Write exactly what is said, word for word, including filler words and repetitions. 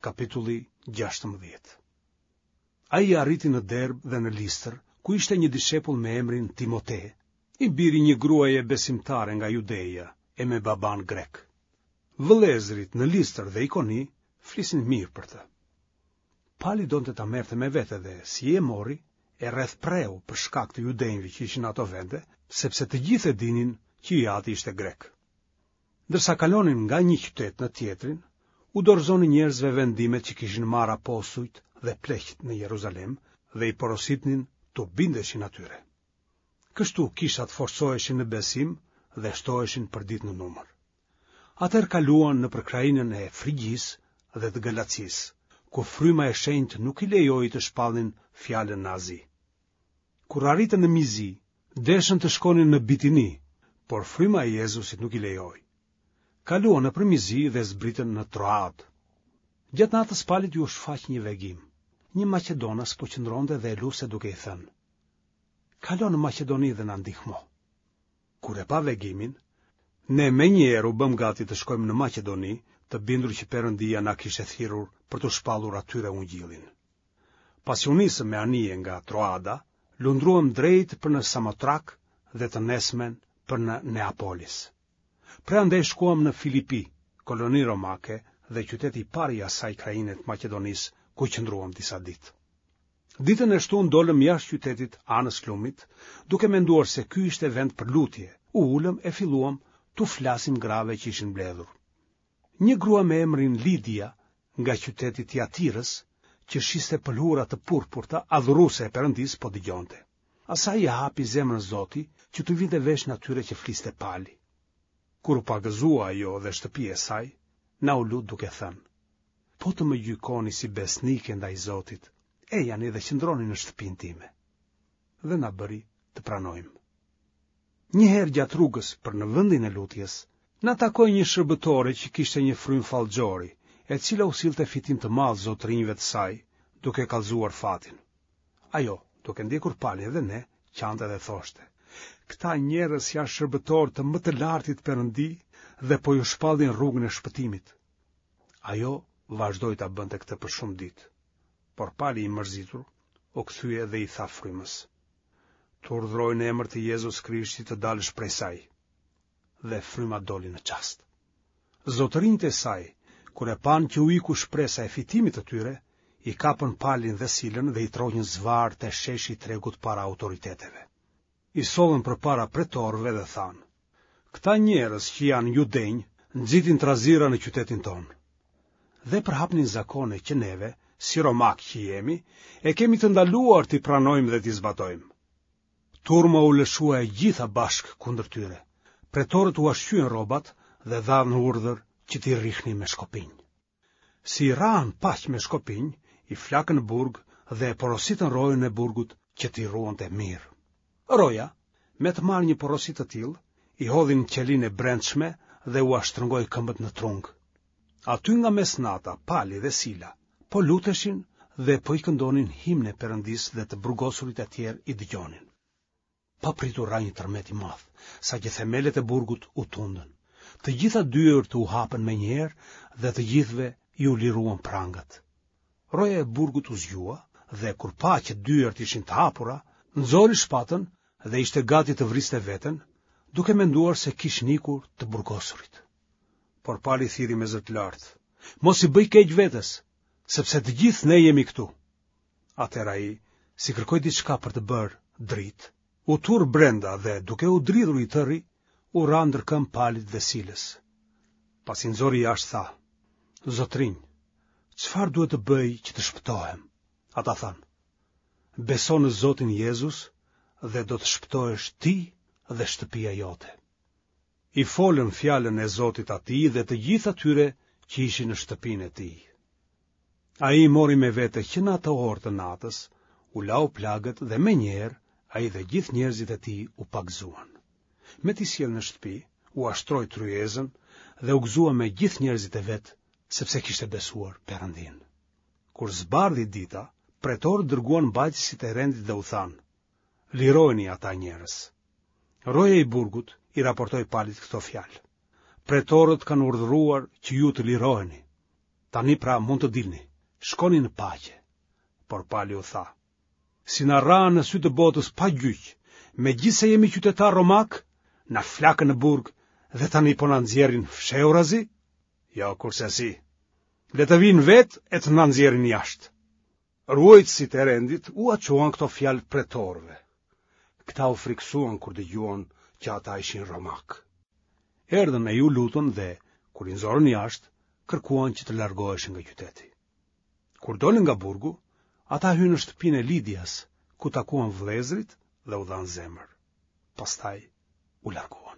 kapitulli gjashtëmbëdhjetë. Ai arriti në Derbë dhe në Listër, ku ishte një dishepull me emrin Timote, i biri i një gruaje besimtare nga Judeja e me babanë grek. Vëllezërit në Listër dhe Ikoni flisnin mirë për të. Pali donte ta merrte me vete dhe, si e mori, e rrethpreu për shkak të judenjve që ishin në ato vende, sepse të gjithë e dinin që i ati ishte grek. Ndërsa kalonin nga një qytet në tjetrin, u dorëzonin njerëzve vendimet që kishin marrë apostujt dhe pleqtë në Jeruzalem dhe i porositnin t'u bindeshin atyre. Kështu kishat forcoheshin në besim dhe shtoheshin përditë në numër. Atëherë kaluan nëpër krahinën e Frigjisë dhe të Galacisë, ku Fryma e Shenjtë nuk i lejoi të shpallnin fjalën në Azi. Kur arritën në Mizi, deshën të shkonin në Bitini, por Fryma e Jezusit nuk i lejoi. Kaluan nëpër Mizi dhe zbritën në Troadë. Gjatë natës Palit iu shfaq një vegim. Një maqedonas po qëndronte dhe e luste duke i thënë: Kalo në Maqedoni dhe na ndihmo. Kur e pa vegimin, ne menjëherë u bëmë gati të shkojmë në Maqedoni, të bindur që Perëndia na kishte thirrur për t'u shpallur atyre ungjillin. Pasi u nisëm me anije nga Troada, lundruam drejt për në Samotrak dhe të nesërmen për në Neapolis. Prej andej shkuam në Filipi, koloni romake dhe qyteti i parë i asaj krahine të Maqedonisë, ku qëndruam disa ditë. Ditën e shtunë dolëm jashtë qytetit anës lumit, duke menduar se ky ishte vend për lutje, u ulëm e filluam t'u flasim grave që ishin mbledhur. Një grua me emrin Lidia, nga qyteti i Tiatirës, që shiste pëlhura të purpurta, adhuruese e Perëndisë, po dëgjonte. Asaj ia hapi zemrën Zoti që t'u vinte veshin atyre që fliste Pali. Kur u pagëzua ajo dhe shtëpia e saj, na u lut duke thënë: Po të më gjykoni si besnike ndaj Zotit, ejani dhe qëndroni në shtëpinë time. Dhe na bëri të pranojmë. Një herë gjatë rrugës për në vendin e lutjes, na takoi një shërbëtore që kishte një frymë fallxhori, e cila u sillte fitim të madh zotërinjve të saj, duke kallëzuar fatin. Ajo, duke ndjekur Palin dhe ne, qante dhe thoshte: Këta njerëz janë shërbëtorë të më të lartit Perëndi dhe po ju shpallin rrugën e shpëtimit. Ajo vazhdoi ta bënte këtë për shumë ditë. Por Pali i mërzitur u kthye dhe i tha frymës: Të urdhëroj në emër të Jezus Krishtit të dalësh prej saj. Dhe fryma doli në çast. Zotërinjtë e saj, kur e panë që u iku shpresa e fitimit të tyre, i kapën Palin dhe Silën dhe i tërhoqën zvarrë te sheshi i tregut para autoriteteve. I sollën përpara pretorëve dhe thanë: Këta njerëz që janë judenj nxitin trazira në qytetin tonë. Dhe përhapnin zakone që neve, si romakë që jemi, e kemi të ndaluar t'i pranojmë dhe t'i zbatojmë. Turma u lëshua e gjitha bashkë kundër tyre. Pretorët ua shqyen rrobat dhe dhanë urdhër që t'i rrihnin me shkopinj. Si i rrahën paq me shkopinj, i flakën në burg dhe e porositën rojën e burgut që t'i ruante mirë. Roja, me të marrë një porosi të tillë, i hodhi në qelinë e brendshme dhe ua shtrëngoi këmbët në trung. Aty nga mesnata, Pali dhe Sila po luteshin dhe po i këndonin himne Perëndisë dhe të burgosurit e tjerë i dëgjonin. Papritur ra një tërmet i madh, saqë themelet e burgut u tundën. Të gjitha dyert u hapën menjëherë dhe të gjithëve iu liruan prangat. Roja e burgut u zgjua dhe kur pa që dyert ishin të hapura, nxori shpatën dhe ishte gati të vriste veten, duke menduar se kishin ikur të burgosurit. Por Pali thirri me zë të lartë: Mos i bëj keq vetes, sepse të gjithë ne jemi këtu. Atëherë ai, si kërkoi diçka për të bërë dritë, u turr brenda dhe duke u dridhur i tëri, u ra ndër këmbë Palit dhe Silës. Pasi i nxori jashtë tha: Zotërinj, çfarë duhet të bëj që të shpëtohem? Ata thanë: Beso në Zotin Jezus dhe do të shpëtohesh ti dhe shtëpia jote. I folën fjalën e Zotit atij dhe të gjithë atyre që ishin në shtëpinë e tij. Ai i mori me vete që në atë orë të natës, u lau plagët dhe menjëherë ai dhe gjithë njerëzit e tij u pagëzuan. Me t'i sjellë në shtëpi, ua shtroi tryezën dhe u gëzua me gjithë njerëzit e vet, sepse kishte besuar Perëndinë. Kur zbardhi dita, pretorët dërguan mbajtësit e rendit dhe u thanë: Lirojini ata njerëz. Roja i burgut i raportoi Palit këto fjalë: Pretorët kanë urdhëruar që ju të liroheni. Tani pra mund të dilni, shkoni në paqe. Por Pali u tha, si na rrahën në sy të botës pa gjyq, megjithëse jemi qytetarë romakë, na flakën në burg dhe tani po na nxjerrin fshehurazi? Jo, kurrsesi. Le të vijnë vetë e të na nxjerrin jashtë. Ruajtësit e rendit ua çuan këto fjalë pretorëve. Këta u frikësuan kur dëgjuan që ata ishin romakë. Erdhën e iu lutën dhe, kur i nxorën jashtë, kërkuan që të largoheshin nga qyteti. Kur dolën nga burgu, ata hynë në shtëpinë e Lidias, ku takuan vëllezërit dhe u dhanë zemër. Pastaj u larguan.